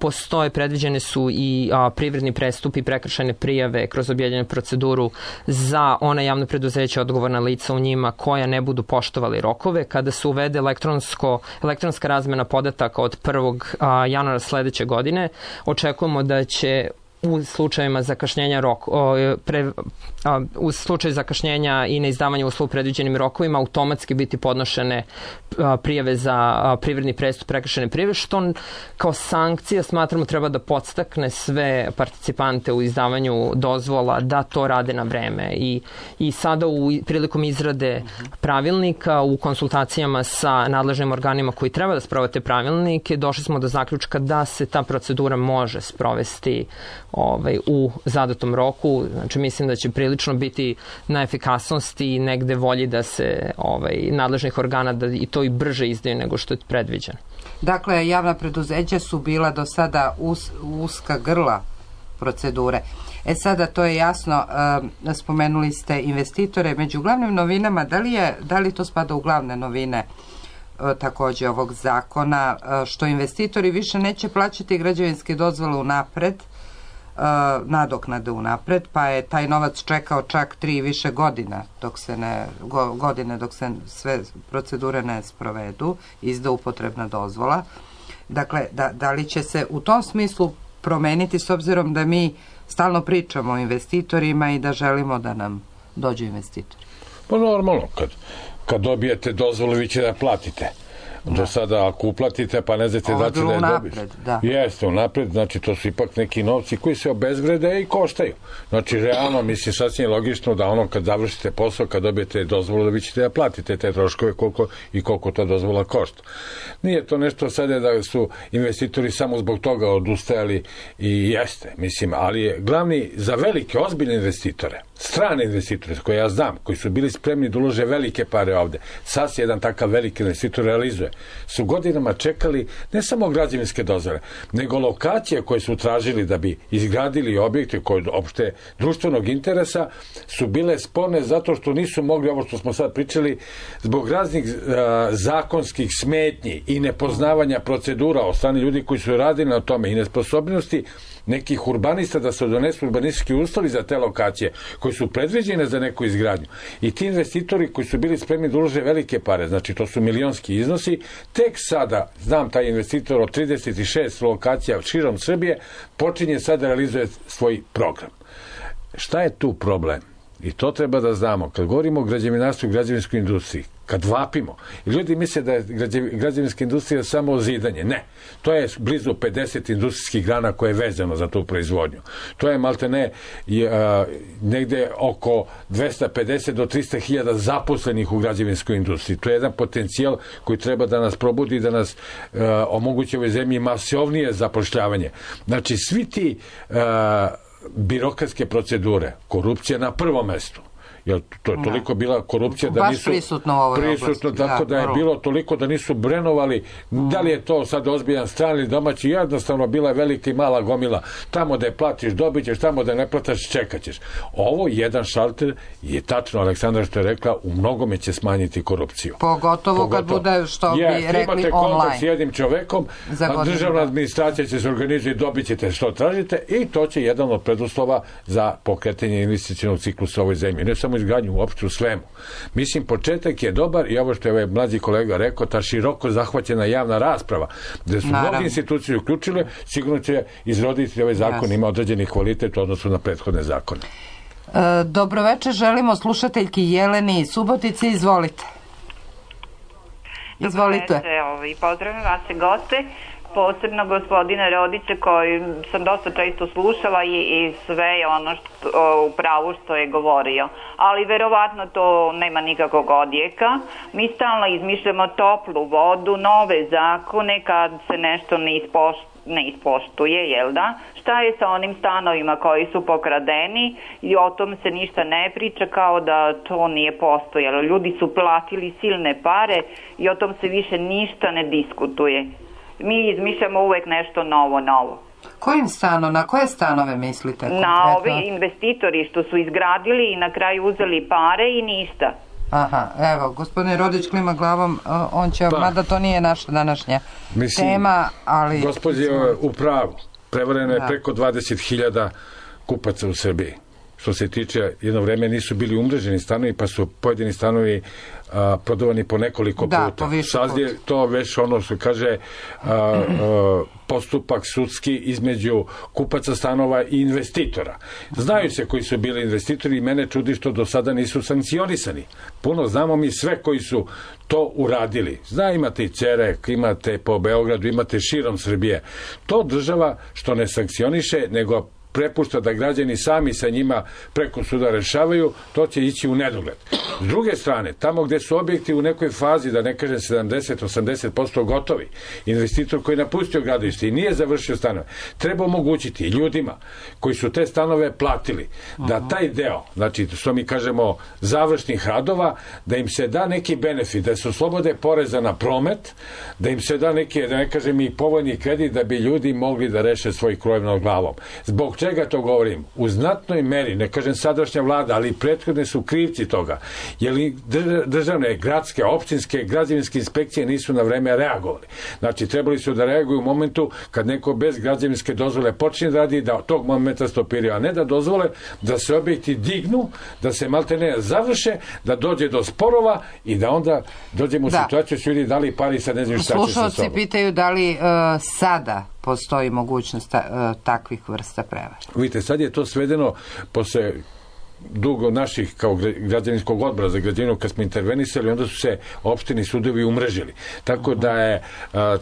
Postoje, predviđene su i privredni prestupi, prekršajne prijave kroz objedinjenu proceduru za ona javna preduzeća, odgovorna lica u njima koja ne budu poštovali rokove. Kada se uvede elektronska razmena podataka od 1. januara sledeće godine, očekujemo da će u slučajima zakašnjenja u slučaju zakašnjenja i neizdavanja uslova u predviđenim rokovima automatski biti podnošene prijave za privredni prestup, prekršajne prijave, što kao sankcija smatramo treba da podstakne sve participante u izdavanju dozvola da to rade na vreme. I sada prilikom izrade pravilnika u konsultacijama sa nadležnim organima koji treba da sprovode te pravilnike, došli smo do zaključka da se ta procedura može sprovesti u zadatom roku. Znači mislim da će prilično biti na efikasnosti i negde volji da se nadležnih organa da i to i brže izdaju nego što je predviđeno. Dakle, javna preduzeća su bila do sada uska grla procedure. Sada to je jasno, spomenuli ste investitore. Među glavnim novinama, da li to spada u glavne novine takođe ovog zakona, što investitori više neće plaćati građevinske dozvole unapred, nadoknade unapred, pa je taj novac čekao čak 3 i više godina dok se sve procedure ne sprovedu, izda upotrebna dozvola. Dakle, da li će se u tom smislu promeniti, s obzirom da mi stalno pričamo o investitorima i da želimo da nam dođu investitori? Pa normalno, kad dobijete dozvolu vi će da platite. Do sada ako uplatite pa ne znate da će da je dobiš. Jeste unapred, znači to su ipak neki novci koji se obezvrede i koštaju. Znači realno mislim sasvim logično da ono kad završite posao, kad dobijete dozvolu da vi ćete da platite te troškove koliko ta dozvola košta. Nije to nešto sada da su investitori samo zbog toga odustajali i jeste, mislim, ali je glavni za velike ozbiljne investitore, strane investitore koje ja znam, koji su bili spremni da ulože velike pare ovde, sad se jedan takav veliki investitor realizuje, su godinama čekali ne samo građevinske dozvole, nego lokacije koje su tražili da bi izgradili objekte koje opšte društvenog interesa su bile sporne zato što nisu mogli, ovo što smo sad pričali, zbog raznih zakonskih smetnji i nepoznavanja procedura od strane ljudi koji su radili na tome i nesposobnosti nekih urbanista da se donesu urbanistički uslovi za te lokacije koji su predviđene za neku izgradnju. I ti investitori koji su bili spremni da ulože velike pare, znači to su milionski iznosi, tek sada, znam taj investitor od 36 lokacija širom Srbije, počinje sada da realizuje svoj program. Šta je tu problem? I to treba da znamo. Kad govorimo o građevinarstvu i građevinskoj industriji, kad vapimo, i ljudi misle da je građevinska industrija samo ozidanje. Ne. To je blizu 50 industrijskih grana koje je vezano za tu proizvodnju. To je maltene negde oko 250 do 300 hiljada zaposlenih u građevinskoj industriji. To je jedan potencijal koji treba da nas probudi, da nas omogući ovoj zemlji masovnije zapošljavanje. Znači, svi ti birokratske procedure, korupcija na prvom mestu, jer to je toliko bila korupcija da nisu prisutno, tako da je bilo toliko da nisu brenovali da li je to sad ozbiljan strani ili domaći, jednostavno bila je velika i mala gomila, tamo da je platiš dobit ćeš, tamo da ne plataš čekat ćeš. Ovo jedan šalter je tačno Aleksandra što je rekla, u mnogome će smanjiti korupciju. Pogotovo kad bude što bi rekli imate online. Kontakt s jednim čovekom, a državna administracija će se organizovati, dobit ćete što tražite i to će jedan od preduslova za pokretanje investicionog ciklusa u ovoj zemlji. Ne samo izgradnju, uopšte u svemu. Mislim, početak je dobar i ovo što je ovaj mlađi kolega rekao, ta široko zahvaćena javna rasprava, gde su mnogi institucije uključile, sigurno će izroditi ovaj zakon, ima određeni kvalitet u odnosu na prethodne zakone. Dobroveče, želimo slušateljki Jeleni Subotici, izvolite. Izvolite. Pozdravim vas i goste, posebno gospodina Rodića koji sam dosta često slušala i sve ono u pravu što je govorio. Ali verovatno to nema nikakvog odjeka. Mi stalno izmišljamo toplu vodu, nove zakone kad se nešto ne ispoštuje, jel da? Šta je sa onim stanovima koji su pokradeni i o tom se ništa ne priča kao da to nije postojalo. Ljudi su platili silne pare i o tom se više ništa ne diskutuje. Mi izmišljamo uvek nešto novo. Kojim stanom, na koje stanove mislite konkretno? Na ove investitori što su izgradili i na kraju uzeli pare i ništa. Aha, evo, gospodin Rodić klima glavom, on će, mada to nije naša današnja tema, ali... Gospodin je u pravu, prevareno je preko 20.000 kupaca u Srbiji. Što se tiče, jedno vreme nisu bili umreženi stanovi, pa su pojedini stanovi prodavani po nekoliko puta. Sad je to već ono što kaže postupak sudski između kupaca stanova i investitora. Znaju se koji su bili investitori i mene čudi što do sada nisu sankcionisani. Puno znamo mi sve koji su to uradili. Imate i Cerek, imate po Beogradu, imate širom Srbije. To država što ne sankcioniše, nego prepušta da građani sami sa njima preko suda rešavaju, to će ići u nedogled. S druge strane, tamo gde su objekti u nekoj fazi, da ne kažem 70-80% gotovi, investitor koji je napustio gradilište i nije završio stanove, treba omogućiti ljudima koji su te stanove platili, da taj deo, znači što mi kažemo završnih radova, da im se da neki benefit, da se oslobode poreza na promet, da im se da neki, da ne kažem i povoljni kredit, da bi ljudi mogli da reše svoj krov nad glavom. Zbog čega to govorim? U znatnoj meri, ne kažem sadašnja vlada, ali prethodne su krivci toga. Jer državne, gradske, opštinske, građevinske inspekcije nisu na vreme reagovali. Znači, trebali su da reaguju u momentu kad neko bez građevinske dozvole počne da radi, da tog momenta stopiraju, a ne da dozvole da se objekti dignu, da se maltene završe, da dođe do sporova i da onda dođemo u situaciju su ljudi dali pari sa ne znam šta će sa sobom. Slušalci pitaju da li sada postoji mogućnost takvih vrsta prevara. Vidite, sad je to svedeno posle dugo naših kao građevinskog odbora za građevinu kad smo intervenisali, onda su se opštini sudovi umrežili. Tako da je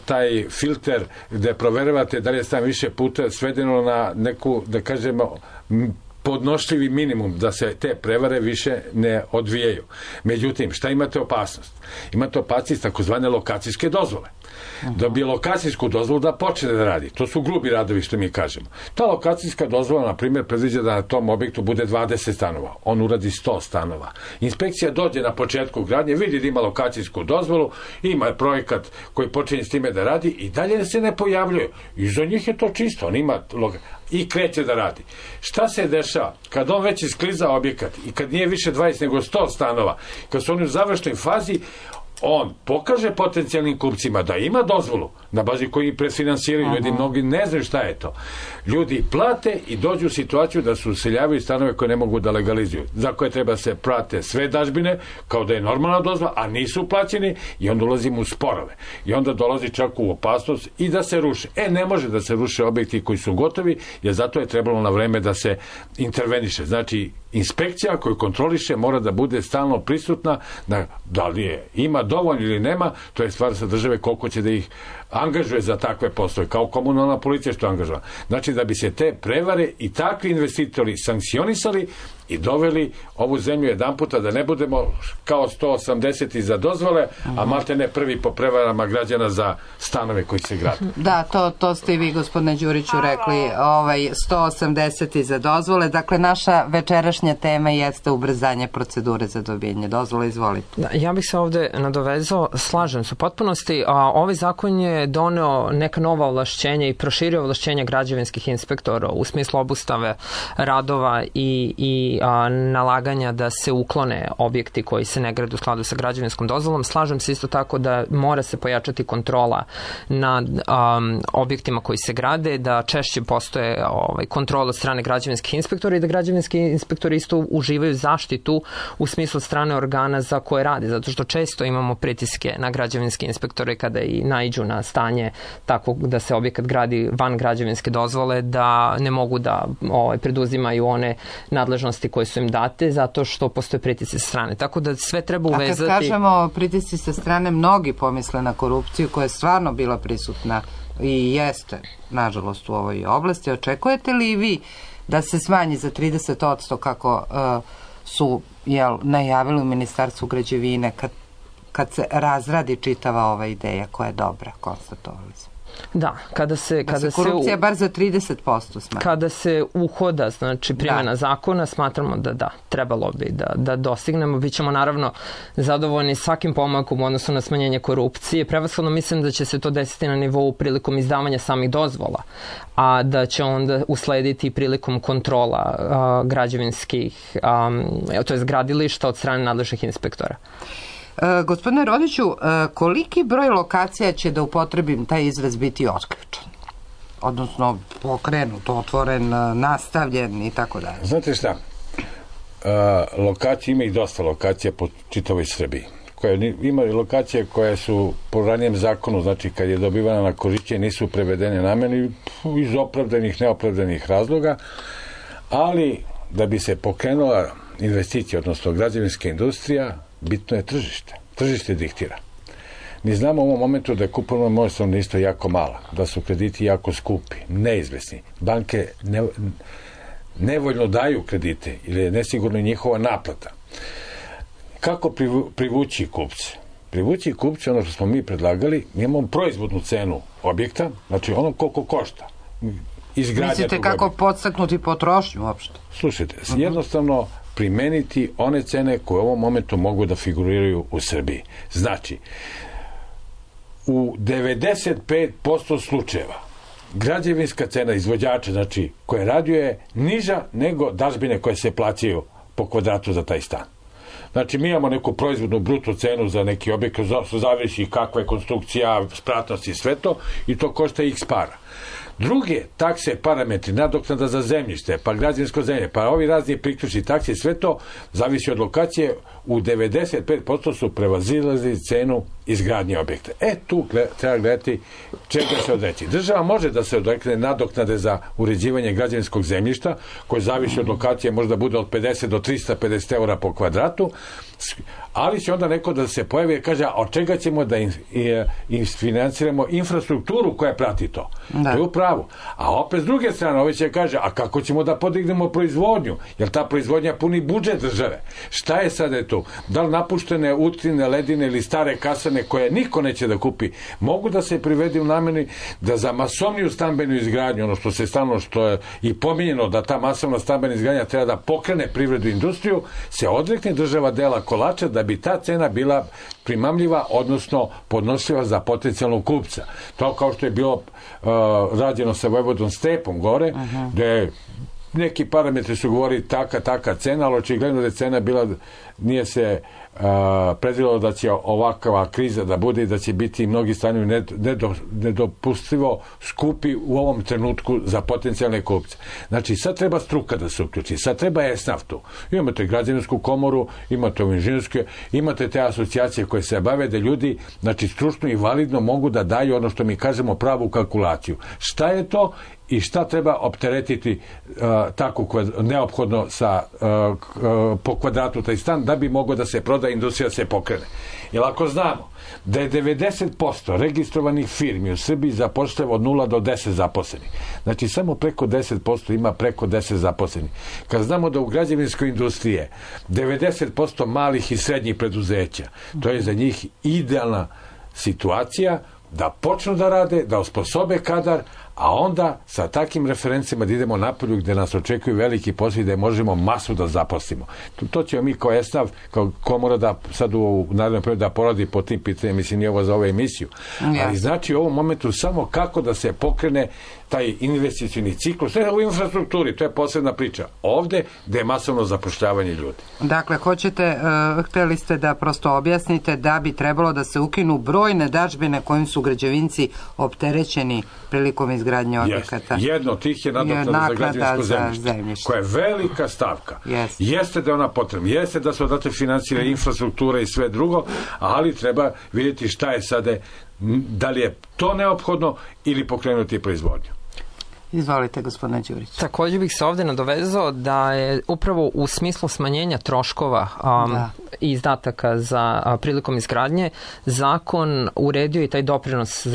taj filter gde proveravate da li je stan više puta svedeno na neku, da kažemo, podnošljivi minimum da se te prevare više ne odvijaju. Međutim, šta imate opasnost? Imate opasnost takozvane lokacijske dozvole. Dobije lokacijsku dozvolu da počne da radi. To su grubi radovi što mi kažemo. Ta lokacijska dozvola, na primjer, predviđa da na tom objektu bude 20 stanova. On uradi 100 stanova. Inspekcija dođe na početku gradnje, vidi da ima lokacijsku dozvolu, ima projekat koji počinje s time da radi i dalje se ne pojavljuje. I za njih je to čisto. On ima i kreće da radi. Šta se dešava? Kad on već iskliza objekat i kad nije više 20 nego 100 stanova, kad su oni u završnoj fazi, on pokaže potencijalnim kupcima da ima dozvolu na bazi koji predfinansiraju, ljudi mnogi ne znaju šta je to. Ljudi plate i dođu u situaciju da se useljavaju stanove koje ne mogu da legalizuju, za koje treba se prate sve dažbine kao da je normalna dozvola, a nisu plaćeni i onda ulazimo u sporove. I onda dolazi čak u opasnost i da se ruše. Ne može da se ruše objekti koji su gotovi, jer zato je trebalo na vreme da se interveniše. Znači, inspekcija koju kontroliše mora da bude stalno prisutna, da li je ima dovoljno ili nema, to je stvar sa države koliko će da ih angažuje za takve poslove, kao komunalna policija što angažuje. Znači da bi se te prevare i takvi investitori sankcionisali i doveli ovu zemlju jedan puta da ne budemo kao 180 za dozvole, a malte ne prvi po prevarama građana za stanove koji se grade. Da, to ste i vi, gospodine Đuriću, rekli, 180 za dozvole. Dakle, naša večerašnja tema jeste ubrzanje procedure za dobijanje dozvole. Izvolite. Da, ja bih se ovde nadovezao, slažem se u potpunosti. Ovaj zakon je doneo neka nova ovlašćenja i proširio ovlašćenja građevinskih inspektora u smislu obustave radova i nalaganja da se uklone objekti koji se ne grade u skladu sa građevinskom dozvolom. Slažem se isto tako da mora se pojačati kontrola nad objektima koji se grade, da češće postoje kontrola od strane građevinskih inspektora i da građevinski inspektori isto uživaju zaštitu u smislu strane organa za koje radi, zato što često imamo pritiske na građevinske inspektore kada i naiđu na stanje tako da se objekat gradi van građevinske dozvole, da ne mogu da preduzimaju one nadležnosti koje su im date, zato što postoje pritisci sa strane. Tako da sve treba uvezati. A kad kažemo pritisci sa strane, mnogi pomisle na korupciju koja je stvarno bila prisutna i jeste, nažalost, u ovoj oblasti. Očekujete li i vi da se smanji za 30% kako su najavili u Ministarstvu građevine kad se razradi čitava ova ideja koja je dobra, konstatovali smo? Da, kada se korupcija bar za 30% smanji. Kada se uhoda, znači primjena zakona, smatramo da trebalo bi da dostignemo. Bićemo naravno zadovoljni svakim pomakom u odnosu na smanjenje korupcije. Prevashodno mislim da će se to desiti na nivou prilikom izdavanja samih dozvola, a da će onda uslediti prilikom kontrola građevinskih, to je gradilišta od strane nadležnih inspektora. Gospodine Rodiću, koliki broj lokacija će, da upotrebim taj izraz, biti otključen? Odnosno pokrenut, otvoren, nastavljen i tako dalje. Znate šta, lokacija ima i dosta lokacija po čitavoj Srbiji. Ima i lokacije koje su po ranijem zakonu, znači kad je dobivana na korišćenje, nisu prevedene nameni iz opravdanih, neopravdanih razloga, ali da bi se pokrenula investicija, odnosno građevinska industrija, bitno je tržište. Tržište diktira. Mi znamo u ovom momentu da je kupovna moć stanovništva jako mala, da su krediti jako skupi, neizvesni. Banke nevoljno daju kredite ili je nesigurno njihova naplata. Kako privući kupce? Privući kupce, ono što smo mi predlagali, mi imamo proizvodnu cenu objekta, znači ono koliko košta. Mislite kako podstaknuti potrošnju uopšte? Slušajte, jednostavno primeniti one cene koje u ovom momentu mogu da figuriraju u Srbiji. Znači, u 95% slučajeva građevinska cena izvođača, znači, koja radio je niža nego dažbine koje se plaćaju po kvadratu za taj stan. Znači, mi imamo neku proizvodnu bruto cenu za neki objekt, zavisi kakva je konstrukcija, spratnost i sve to, i to košta x para. Druge takse, parametri, nadoknada za zemljište, pa građevinsko zemlje, pa ovi razni priključni takse, sve to zavisi od lokacije, u 95% su prevazilazili cenu izgradnje objekta. Tu treba gledati čega se odreći. Država može da se odrekne nadoknade za uređivanje građevinskog zemljišta, koje zavisi od lokacije, možda bude od 50 do 350 eura po kvadratu, ali će onda neko da se pojavi i kaže, a od čega ćemo da financiramo infrastrukturu koja prati to. To je u pravu. A opet s druge strane, ovaj će kaže, a kako ćemo da podignemo proizvodnju? Jer ta proizvodnja puni budžet države. Šta je sada tu? Da li napuštene utrine, ledine ili stare kasane koje niko neće da kupi, mogu da se privede u nameni da za masovniju stambenu izgradnju, ono što se stalno, što je i pominjeno da ta masovna stambena izgradnja treba da pokrene privredu i industriju, se odrekne država dela kolača da bi ta cena bila primamljiva, odnosno podnošljiva za potencijalnog kupca. To kao što je bilo rađeno sa Vojvodom Stepom gore, gde neki parametri su govorili taka cena, ali očigledno da je cena bila, nije se predvidelo da će ovakva kriza da bude i da će biti mnogi stanovi nedopustivo skupi u ovom trenutku za potencijalne kupce. Znači, sad treba struka da se uključi, sad treba ESNAF tu. Imate građevinsku komoru, imate inženjerske, imate te asocijacije koje se bave da ljudi, znači, stručno i validno mogu da daju ono što mi kažemo pravu kalkulaciju. Šta je to i šta treba opteretiti tako neophodno po kvadratu taj stan da bi mogao da se proda, industrija se pokrene. Jer ako znamo da je 90% registrovanih firmi u Srbiji zapošljava od 0 do 10 zaposlenih. Znači, samo preko 10% ima preko 10 zaposlenih. Kad znamo da u građevinskoj industriji 90% malih i srednjih preduzeća, to je za njih idealna situacija da počnu da rade, da osposobe kadar, a onda sa takim referencima da idemo napolju gde nas očekuju veliki posao i da možemo masu da zaposlimo. To ćemo mi kao ESNAV, kao komora da sad u narednom periodu da poradi po tim pitanjima, mislim nije ovo za ovu emisiju. Ali znači u ovom momentu samo kako da se pokrene taj investicioni ciklus, ne u infrastrukturi, to je posebna priča. Ovde gde je masovno zapošljavanje ljudi. Dakle, hteli ste da prosto objasnite da bi trebalo da se ukinu brojne dažbine kojim su građevinci opterećeni prilikom izgradnje objekata. Jedno od tih je nadoknada za građevinsko zemljište, koja je velika stavka. Jeste da je ona potrebna, jeste da se odatle finansira infrastruktura i sve drugo, ali treba vidjeti šta je sada, da li je to neophodno ili pokrenuti proizvodnju. Izvolite, gospodine Đurić. Također bih se ovdje nadovezao da je upravo u smislu smanjenja troškova i izdataka za prilikom izgradnje zakon uredio i taj doprinos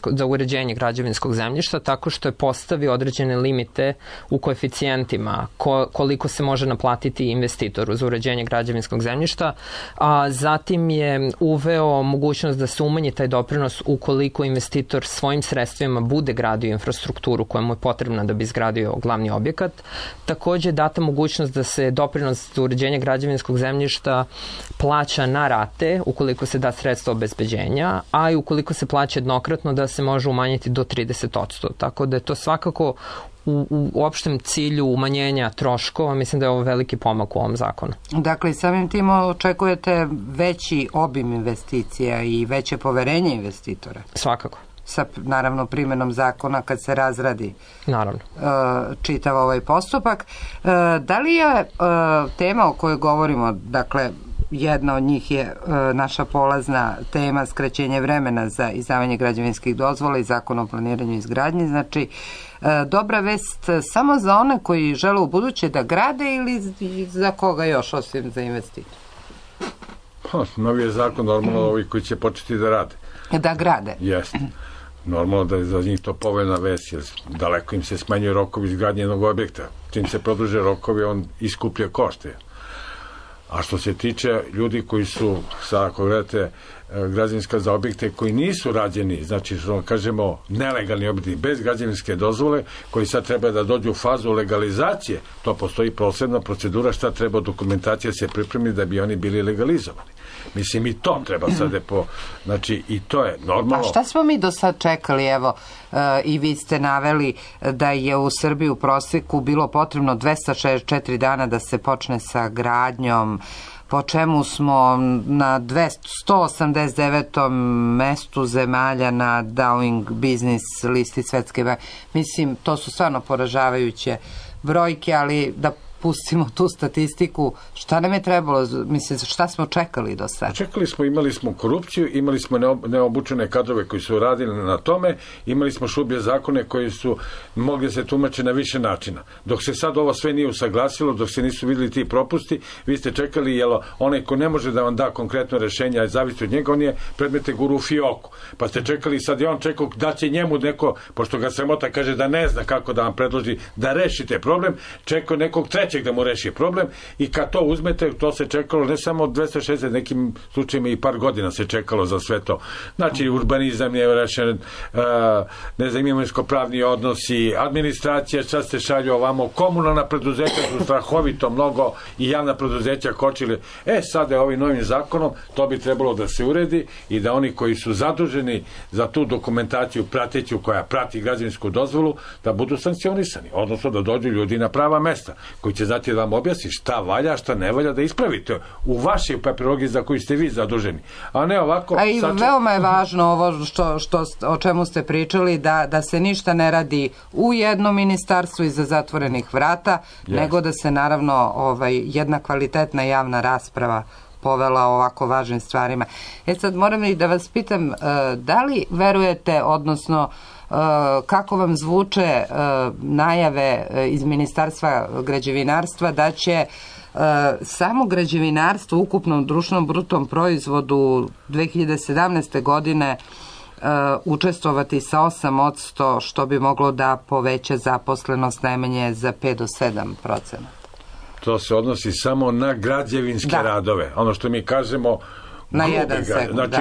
za uređenje građevinskog zemljišta tako što je postavio određene limite u koeficijentima koliko se može naplatiti investitoru za uređenje građevinskog zemljišta, a zatim je uveo mogućnost da se umanji taj doprinos ukoliko investitor svojim sredstvima bude gradio infrastrukturu koja mu je potrebna da bi izgradio glavni objekat. Također je data mogućnost da se doprinos za uređenje građevinskog zemljišta plaća na rate ukoliko se da sredstva obezbeđenja, a i ukoliko se plaća jednokratno da se može umanjiti do 30%. Tako da je to svakako u opštem cilju umanjenja troškova, mislim da je ovo veliki pomak u ovom zakonu. Dakle, samim tim očekujete veći obim investicija i veće poverenje investitora? Svakako. Sa, naravno, primjenom zakona kad se razradi čitav ovaj postupak. Da li je tema o kojoj govorimo, dakle, jedna od njih je naša polazna tema skraćenje vremena za izdavanje građevinskih dozvola i zakon o planiranju i izgradnji, znači dobra vest samo za one koji žele u buduće da grade ili za koga još osim za investitor? Novi je zakon normalno ovi koji će početi da rade. Da grade? Jeste. Normalno da je za njih to povoljna vest, jer daleko im se smanjuje rokovi izgradnje jednog objekta. Čim se produže rokovi, on iskuplja košte. A što se tiče ljudi koji su, sad ako gledate građevinska za objekte koji nisu rađeni, znači što kažemo nelegalni objekti bez građevinske dozvole, koji sad treba da dođu u fazu legalizacije, to postoji posebna procedura šta treba dokumentacija se pripremi da bi oni bili legalizovani. Mislim, i to treba sad znači i to je normalno. A šta smo mi do sad čekali, evo, i vi ste naveli da je u Srbiji u prosjeku bilo potrebno 264 dana da se počne sa gradnjom, po čemu smo na 189. mestu zemalja na Doing Business listi svetske banke. Mislim, to su stvarno poražavajuće brojke, ali da pustimo tu statistiku, šta nam je trebalo, mislim, šta smo čekali do sada? Čekali smo, imali smo korupciju, imali smo neobučene kadrove koji su radili na tome, imali smo šublje zakone koji su mogli se tumačiti na više načina. Dok se sad ovo sve nije usaglasilo, dok se nisu vidjeli ti propusti, vi ste čekali, jer onaj ko ne može da vam da konkretno rešenje, a zavisi od njega, on je predmete guru u fioku. Pa ste čekali, sad je on čekao da će njemu neko, pošto ga sramota kaže da ne zna kako da vam predloži da rešite problem, čekao nekog trećeg da mu reši problem i kad to uzmete, to se čekalo ne samo 260, nekim slučajima i par godina se čekalo za sve to. Znači, urbanizam je rešen, ne znam, imovinsko-pravni odnosi, administracija, sad se šalju ovamo, komunalna preduzeća su strahovito mnogo i javna preduzeća kočili. Sada je ovim novim zakonom, to bi trebalo da se uredi i da oni koji su zaduženi za tu dokumentaciju prateću koja prati građevinsku dozvolu, da budu sankcionisani, odnosno da dođu ljudi na prava mesta, koji će znati da vam objasni šta valja, šta ne valja, da ispravite u vašoj papirologiji za koju ste vi zaduženi. A ne ovako... A i veoma je važno ovo o čemu ste pričali, da se ništa ne radi u jednom ministarstvu iza zatvorenih vrata, nego da se naravno jedna kvalitetna javna rasprava povela o ovako važnim stvarima. Sad moram i da vas pitam, da li verujete, odnosno kako vam zvuče najave iz Ministarstva građevinarstva da će samo građevinarstvo u ukupnom društvenom brutom proizvodu 2017. godine učestvovati sa 8%, što bi moglo da poveća zaposlenost najmanje za 5 do 7%. To se odnosi samo na građevinske radove. Ono što mi kažemo na jedan sekund, znači,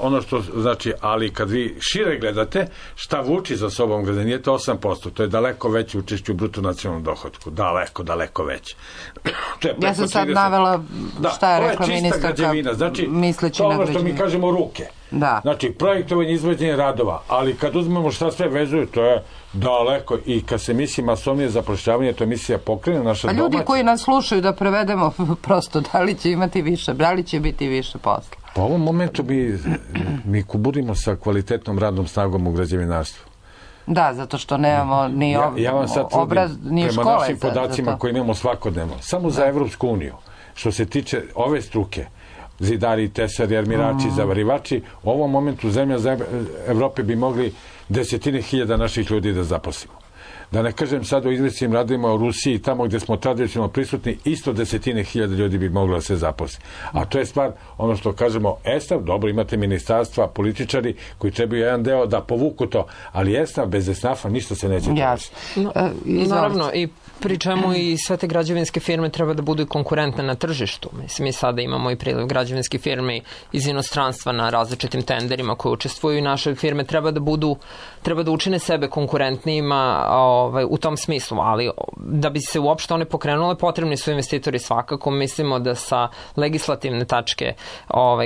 ono što znači, ali kad vi šire gledate, šta vuči za sobom građe, nije to 8%, to je daleko veće učešće u bruto nacionalnom dohodku, daleko veće. Ja sam sad navela šta je rekla ministarka, znači, misleći to na ono što mi kažemo ruke. Znači, projektovanje, izvođenje radova, ali kad uzmemo šta sve vezuju, to je daleko, i kad se misli masovnije zapošljavanje, to emisija pokrene naša domaća. A ljudi koji nas slušaju, da prevedemo prosto, da li će imati više, da li će biti više posla? Po ovom momentu mi kuburimo sa kvalitetnom radnom snagom u građevinarstvu. Da, zato što nemamo ni obraz, ni škole. Prema našim podacima koje imamo svakodnevno, samo za Evropsku uniju, što se tiče ove struke, zidari, tesari, armirači, zavarivači, u ovom momentu zemlja Evrope bi mogli 10.000 naših ljudi da zaposlimo. Da ne kažem sad o izvesnim radovima u Rusiji, tamo gde smo tradicionalno prisutni, isto 10.000 ljudi bi moglo da se zaposli. A to je stvar, ono što kažemo, ESNAF, dobro, imate ministarstva, političari koji trebaju jedan deo da povuku to, ali ESNAF, bez ESNAF-a ništa se neće povući. Naravno, i pri čemu i sve te građevinske firme treba da budu konkurentne na tržištu. Mislim, mi sada imamo i priliv građevinskih firmi iz inostranstva na različitim tenderima koje učestvuju i naše firme treba da učine sebe konkurentnijima u tom smislu, ali da bi se uopšte one pokrenule, potrebni su investitori svakako. Mislimo da sa legislativne tačke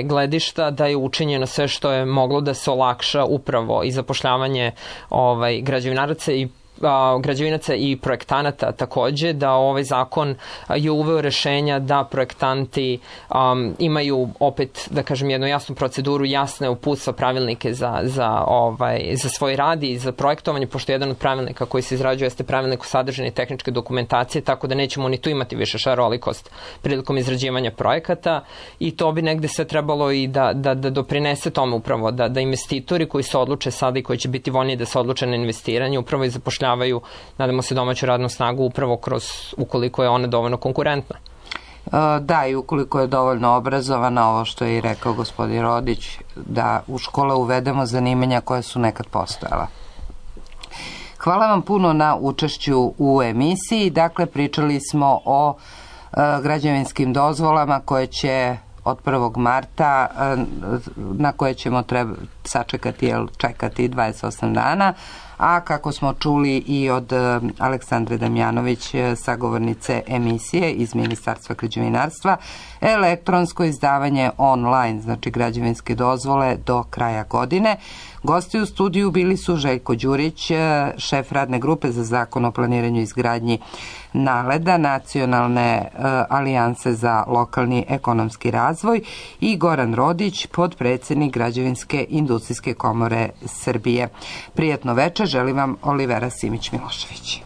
gledišta da je učinjeno sve što je moglo da se olakša upravo i zapošljavanje građevinaca i projektanata takođe, da ovaj zakon je uveo rešenja da projektanti imaju opet, da kažem, jednu jasnu proceduru, jasne uputstva, pravilnike za svoj rad i za projektovanje, pošto jedan od pravilnika koji se izrađuje jeste pravilnik o sadržini tehničke dokumentacije, tako da nećemo ni tu imati više šarolikost prilikom izrađivanja projekata, i to bi negde sve trebalo i da doprinese tome upravo, da investitori koji se odluče sada i koji će biti voljni da se odluče na investiranje, upravo i zapošljavaju, nadamo se, domaću radnu snagu upravo ukoliko je ona dovoljno konkurentna. Da, i ukoliko je dovoljno obrazovana, ovo što je i rekao gospodin Rodić, da u škole uvedemo zanimanja koja su nekad postojala. Hvala vam puno na učešću u emisiji. Dakle, pričali smo o građevinskim dozvolama koje će od 1. marta, na koje ćemo čekati 28 dana, a kako smo čuli i od Aleksandre Damjanović, sagovornice emisije iz Ministarstva građevinarstva, elektronsko izdavanje online, znači građevinske dozvole do kraja godine. Gosti u studiju bili su Željko Đurić, šef radne grupe za zakon o planiranju i izgradnji NALED-a, Nacionalne alijanse za lokalni ekonomski razvoj, i Goran Rodić, podpredsednik Građevinske industrijske komore Srbije. Prijatno večer, želim vam Olivera Simić Milošević.